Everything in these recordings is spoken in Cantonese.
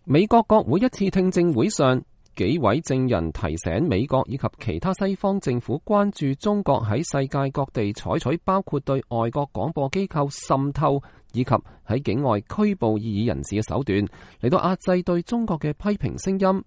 美國國會一次聽證會上，幾位證人提醒美國以及其他西方政府關注中國喺世界各地採取包括對外國廣播機構滲透以及喺境外拘捕異議人士嘅手段，嚟到壓制對中國嘅批評聲音。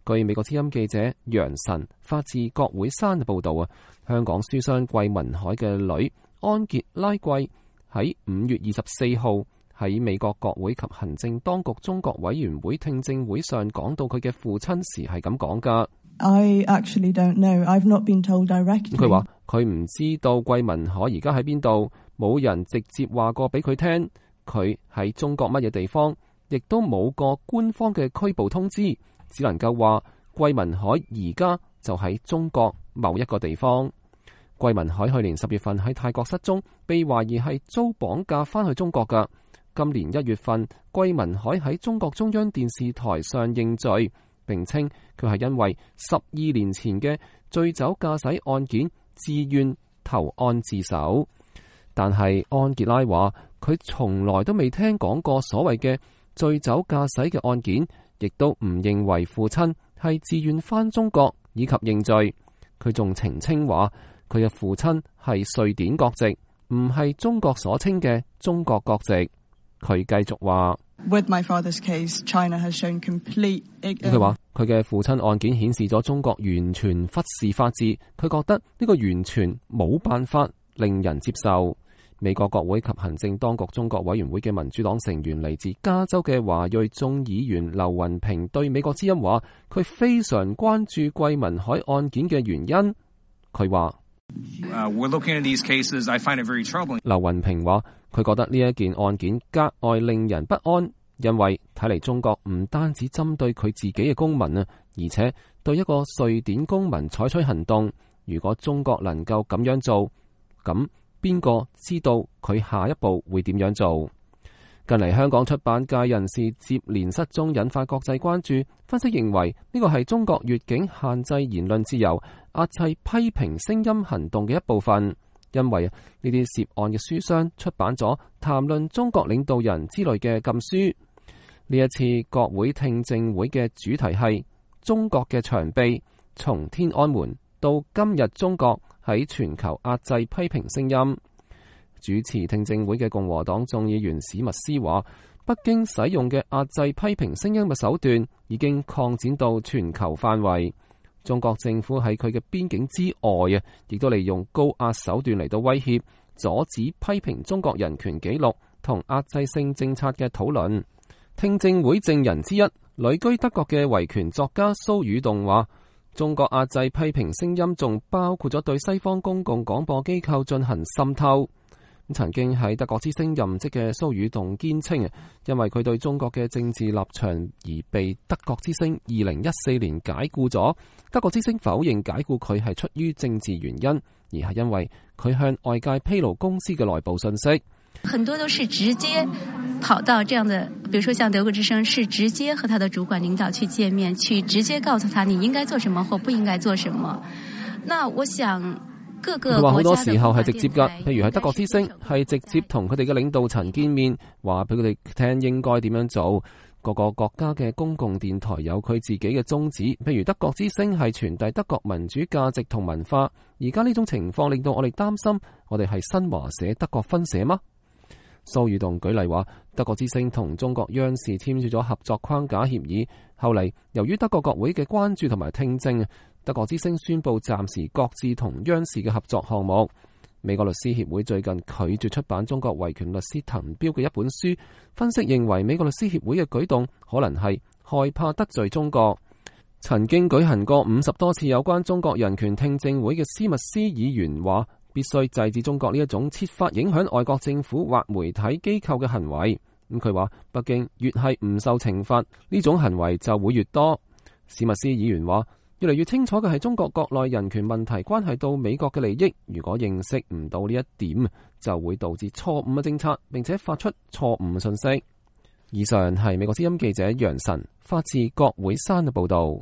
據美國之音記者楊晨發自國會山嘅報道啊，香港書商桂民海嘅女安傑拉桂喺5月24號喺美國國會及行政當局中國委員會聽證會上講到佢嘅父親時係咁講㗎。I actually don't know. I've not been told directly. 佢話佢唔知道桂民海而家喺邊度，冇人直接話過俾佢聽佢喺中國乜嘢地方，亦都冇個官方嘅拘捕通知，只能夠話桂民海而家就喺中國某一個地方。桂民海去年10月份喺泰國失蹤，被懷疑係遭綁架翻去中國㗎。今年1月份，桂民海喺中國中央電視台上認罪，並稱佢係因為12年前嘅醉酒駕駛案件自願投案自首。但係安傑拉話佢從來都未聽講過所謂嘅醉酒駕駛嘅案件，亦都唔認為父親係自願返中國以及認罪。佢仲澄清話佢嘅父親係瑞典國籍，唔係中國所稱嘅中國國籍。佢繼續話，With my father's case, China has shown complete。佢話佢嘅父親案件顯示咗中國完全忽視法治，佢覺得呢個完全冇辦法令人接受。美國國會及行政當局中國委員會嘅民主黨成員嚟自加州嘅華裔眾議員劉雲平對美國之音話，佢非常關注桂民海案件嘅原因。佢話，We're looking at these cases. I find it very troubling. 劉雲平話，佢覺得呢一件案件格外令人不安，因為睇嚟中國唔單止針對佢自己嘅公民啊，而且對一個瑞典公民採取行動。如果中國能夠咁樣做，咁邊個知道佢下一步會點樣做？近嚟香港出版界人士接連失蹤，引發國際關注。分析認為呢個係中國越境限制言論自由、壓制批評聲音行動嘅一部分。因為呢啲涉案嘅書商出版咗談論中國領導人之類嘅禁書。呢一次國會聽證會嘅主題係中國嘅長臂，從天安門到今日中國喺全球壓制批評聲音。主持聽證會嘅共和黨眾議員史密斯話，北京使用嘅壓制批評聲音嘅手段已經擴展到全球範圍。中國政府喺佢嘅邊境之外啊，亦都利用高壓手段嚟到威脅，阻止批評中國人權紀錄同壓制性政策嘅討論。聽證會證人之一，旅居德國嘅維權作家蘇宇動話，中國壓制批評聲音仲包括咗對西方公共廣播機構進行滲透。曾經喺德國之聲任職嘅蘇宇動堅稱，因為佢對中國嘅政治立場而被德國之聲2014年解僱咗。德國之聲否認解僱佢係出於政治原因，而係因為佢向外界披露公司嘅內部信息。很多都是直接跑到這樣的，比如說像德國之聲，是直接和他的主管領導去見面，去直接告訴他你應該做什麼或不應該做什麼。那我想佢話好多時候係直接㗎，譬如係德國之聲係直接同佢哋嘅領導層見面，話俾佢哋聽應該點樣做。各個國家嘅公共電台有佢自己嘅宗旨，譬如德國之聲係傳遞德國民主價值同文化。而家呢種情況令到我哋擔心，我哋係新華社德國分社嗎？蘇宇動舉例話，德國之聲同中國央視簽署咗合作框架協議，後嚟由於德國國會嘅關注同埋聽證，德國之聲宣布暫時擱置同央視嘅合作項目。美國律師協會最近拒絕出版中國維權律師滕彪嘅一本書，分析認為美國律師協會嘅舉動可能係害怕得罪中國。曾經舉行過50多次有關中國人權聽證會嘅斯密斯議員話，必須制止中國呢一種設法影響外國政府或媒體機構嘅行為。佢話北京越係唔受懲罰，呢種行為就會越多。史密斯議員話，越嚟越清楚嘅係中國國內人權問題關係到美國嘅利益，如果認識唔到呢一點，就會導致錯誤嘅政策，並且發出錯誤嘅信息。以上係美國之音記者楊晨發自國會山嘅報道。